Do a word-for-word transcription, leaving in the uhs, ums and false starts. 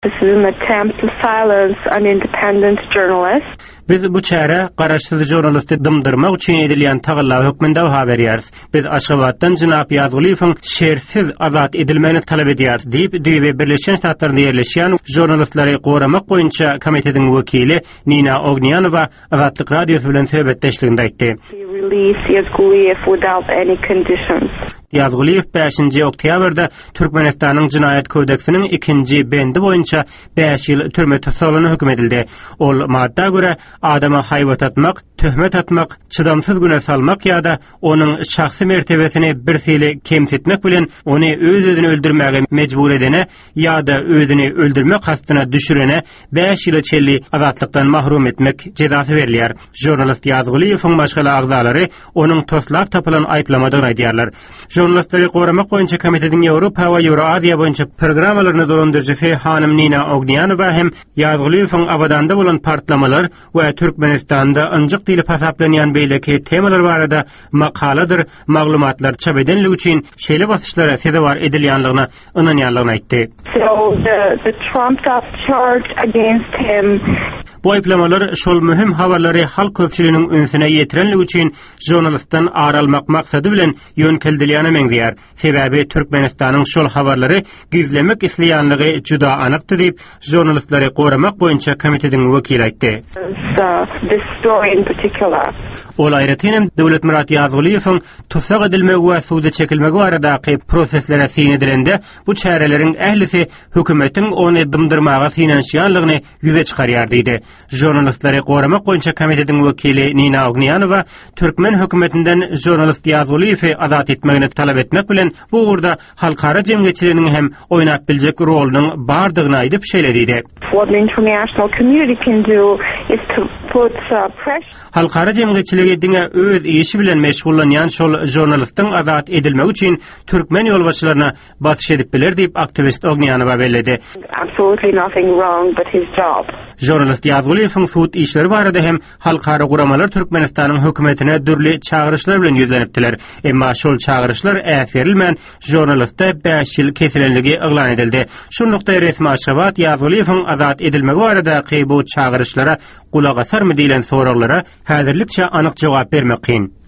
This is an attempt to silence an independent journalist. Biz bu çärä garaşsyz žurnalisti dymdyrmak üçin edilýän tagalla hökmünde baha berýäris. Biz Aşgabatdan jenap Ýazgulyýewiň şertsiz azat edilmegini talap edýäris diýip, düýbi Birleşen Ştatlarynda ýerleşýän žurnalistleri goramak boýunça komitetiň wekili Nina Ognýanowa Azatlyk Radiosy bilen söhbetdeşliginde aýtdy. Release Yazguliyev without any conditions. Ýazgulyýew bäşinji oktýabrda Türkmenistanyň Jenaýat kodeksiniň ikinji bendi boýunça bäş ýyl türme tussaglygyna höküm edildi. Ol madda görä adama haýbat atmak, töhmet atmak, çydamsyz güne salmak ýa-da onuň şahsy mertebesini bir hili kemsitmek bilen ony öz-özüni öldürmäge mejbur edene ýa-da özüni öldürmek kastyna düşürene bäş ýyla çenli azatlykdan mahrum etmek jezasy berilýär. Žurnalist Ýazgulyýewiň maşgala agzalary onuň toslap tapylan aýyplamadygyny aýdýarlar. Žurnalistleri goramak boýunça komitetiň Ýewropa we Ýewroaziýa boýunça programmalaryny dolandyryjysy hanym Nina Ognýanowa hem Ýazgulyýewiň Abadanda bolan partlamalar we Türkmenistanda ynjyk diýlip hasaplanýan beýleki temalar barada makaladyr maglumatlar çap edenligi üçin şeýle basyşlara sezewar edilýänligine ynanýanlygyny aýtdy. So the, the trumped up charge against him Bu aýyplamalar şol möhüm habarlary halk köpçüliginiň ünsüne ýetirenligi üçin žurnalistden ar almak maksady bilen ýönkeldilýäne meňzeýär. Sebäbi Türkmenistanyň şol habarlary gizlemek isleýänligi juda anykdy diýip, žurnalistleri goramak boýunça komitetiň wekili aýtdy. uh, this story in particular. Ol aýratyn hem Döwletmyrat Ýazgulyýewiň tussag edilmegi we suda çekilmegi baradaky proseslere syn edilende bu çäreleriň ählisi hökümetiň ony dymdyrmaga synanyşýanlygyny ýüze çykarýar diýdi. Žurnalistleri goramak boýunça komitetiň wekili Nina Ognýanowa türkmen hökümetinden žurnalist Ýazgulyýewi azat etmegini talap etmek bilen bu ugurda halkara jemgyýetçiliginiň hem oýnap biljek rolunyň bardygyny aýdyp şeýle diýdi. What the international community can do is to put uh, pressure Halkara jemgyýetçiligi diňe öz işi bilen meşgullanýan şol žurnalistiň azat edilmegi üçin türkmen ýolbaşçylaryna basyş edip biler diýip aktiwist Ognýanowa belledi. absolutely nothing wrong but his job. Žurnalist Ýazgulyýewiň sud işleri barada hem halkara guramalar Türkmenistanyň hökümetine dürli çagyryşlar bilen ýüzlenipdiler. Emma şol çagyryşlar äsgerilmän žurnaliste bäş ýyl kesilenligi yglan edildi. Şunlukda resmi Aşgabat Ýazgulyýewiň azat edilmegi baradaky bu çagyryşlara gulak asarmy diýlen soraglara häzirlikçe anyk jogap bermek kyn.